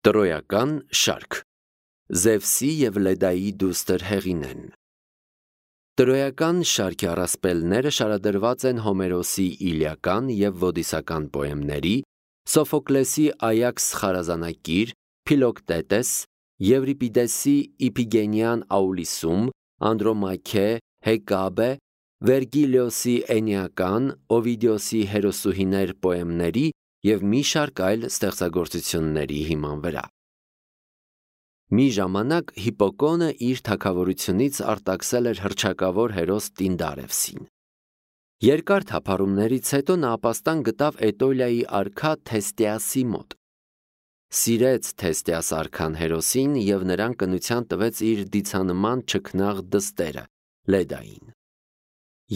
Տրոյական շարք Զևսի և Լեդայի դուստր Հեղինեն Տրոյական շարքի առասպելները շարադրված են Հոմերոսի Իլիական և Ոդիսական պոեմների, Սոֆոկլեսի Այաքս խարազանակիր, Փիլոկտետես, Եվրիպիդեսի Իփիգենյան Աուլիսում, Անդրոմաքե, Հեկաբե, Վերգիլիոսի Էնեական, Օվիդիոսի Հերոսուհիներ պոեմների և մի շարք այլ ստեղծագործությունների հիման վրա։ Մի ժամանակ Հիպոկոնը իր թագավորությունից արտաքսել էր հռչակավոր հերոս Տինդարևսին։ Երկար թափառումներից հետո նա ապաստան գտավ Էտոլիայի արքա Թեստիասի մոտ։ Սիրեց Թեստիաս արքան հերոսին և նրան կնության տվեց իր դիցանման չքնաղ դստերը՝ Լեդային։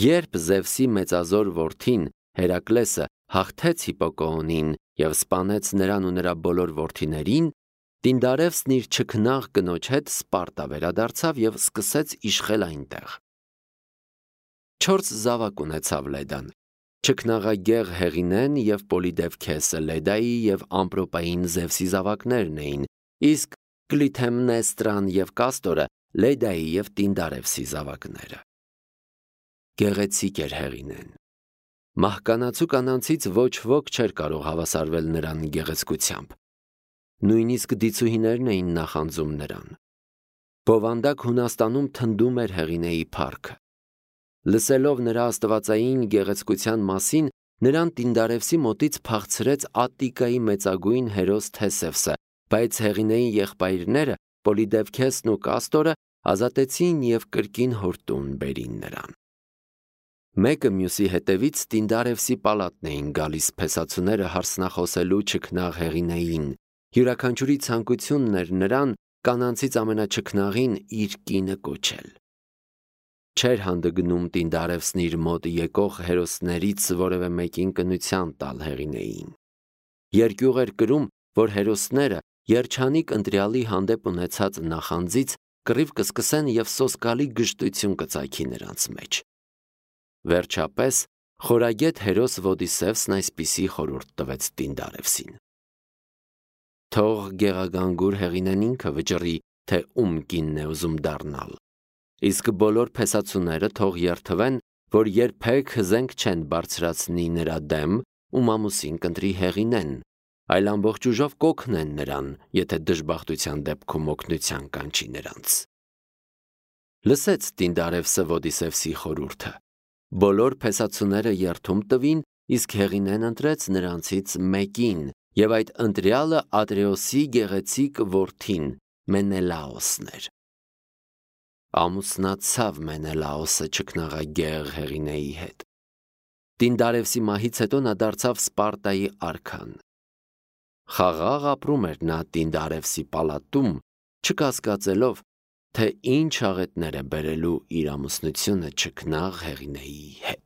Երբ Զևսի մեծազոր որդին Հերակլեսը հաղթեց Հիպոկոնին և սպանեց նրան ու նրա բոլոր որդիներին, Տինդարևսն իր չքնաղ կնոջ հետ Սպարտա վերադարձավ և սկսեց իշխել այնտեղ։ 4 զավակ ունեցավ Լեդան. չքնաղագեղ Հեղինեն և Պոլիդևքեսը Լեդայի և ամպրոպային Զևսի զավակներն էին, իսկ Կլիթեմնեստրան և Կաստորը Լեդայի և Տինդարևսի զավակները։ Գեղեցիկ էր Հեղինեն։ Մահկանացու կանանցից ոչ ոք չէր կարող հավասարվել նրան գեղեցկությամբ։ Նույնիսկ դիցուհիներն էին նախանձում նրան։ Բովանդակ Հունաստանում թնդում էր Հեղինեի փառքը։ Լսելով նրա աստվածային գեղեցկության մասին, նրան Տինդարևսի մոտից փախցրեց Ատտիկայի մեծագույն հերոս Թեսևսը, բայց Հեղինեի եղբայրները Պոլիդևքեսն ու Կաստորը ազատեցին և կրկին հոր տուն բերին նրան։ Մեկը մյուսի հետևից Տինդարևսի պալատն էին գալիս փեսացուները հարցնախոսելու չքնաղ Հեղինեին, յուրաքանչյուրի ցանկությունն էր նրան, կանանցից ամենաչքնաղին, իր կինը կոչել։ Չէր հանդգնում Տինդարևսն իր մոտ եկող հերոսներից որևէ մեկին կնության տալ Հեղինեին։ Երկյուղ էր կրում, որ հերոսները երջանիկ ընտրյալի հանդեպ ունեցած նախանձից կռիվ կսկսեն և սոսկալի գժտություն կծագի նրանց մեջ։ Վերջապես խորագետ հերոս Ոդիսևսն այսպիսի խորհուրդ տվեց Տինդարևսին. թող գեղագանգուր Հեղինեն ինքը վճռի, թե ում կինն է ուզում դառնալ, իսկ բոլոր փեսացուները թող երդվեն, որ երբեք հզենք չեն բարձրացնի նրա դեմ, ում ամուսին կընտրի Հեղինեն, այլ ամբողջ ուժով կօգնեն նրան, եթե դժբախտության դեպքում օգնության կանչի նրանց։ Լսեց Տինդարևսը Ոդիսևսի խորհուրդը։ Բոլոր փեսացուները երդում տվին, իսկ Հեղինեն ընտրեց նրանցից մեկին, և այդ ընտրյալը Ատրեոսի գեղեցիկ որդին Մենելաոսն էր։ Ամուսնացավ Մենելաոսը չքնաղագեղ Հեղինեի հետ։ Տինդարևսի մահից հետո նա դարձավ Սպարտայի արքան։ Խաղաղ ապրում էր նա Տինդարևսի պալատում, չկասկածելով, թե ինչ աղետներ է բերելու իր ամուսնությունը չքնաղ Հեղինեի հետ։